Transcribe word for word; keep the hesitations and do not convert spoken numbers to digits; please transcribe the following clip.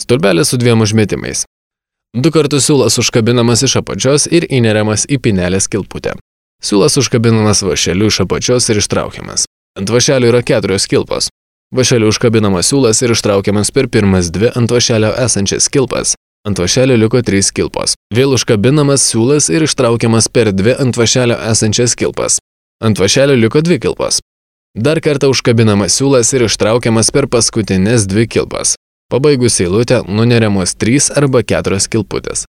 Stulpelis su dviem užmetimais. Du kartus siūlas užkabinamas iš apačios ir įneriamas į pinelės kilputę. Siūlas užkabinamas vąšeliu iš apačios ir ištraukiamas. Ant vąšelio yra keturios kilpos. Vąšeliu užkabinamas siūlas ir ištraukiamas per pirmas dvi ant vąšelio esančias kilpas. Ant vąšelio liko trys kilpos. Vėl užkabinamas siūlas ir ištraukiamas per dvi ant vąšelio esančias kilpas. Ant vąšelio liko dvi kilpos. Dar kartą užkabinamas siūlas ir ištraukiamas per paskutinės dvi kilpas. Pabaigus eilutę nuneriamos trys arba keturios kilputės.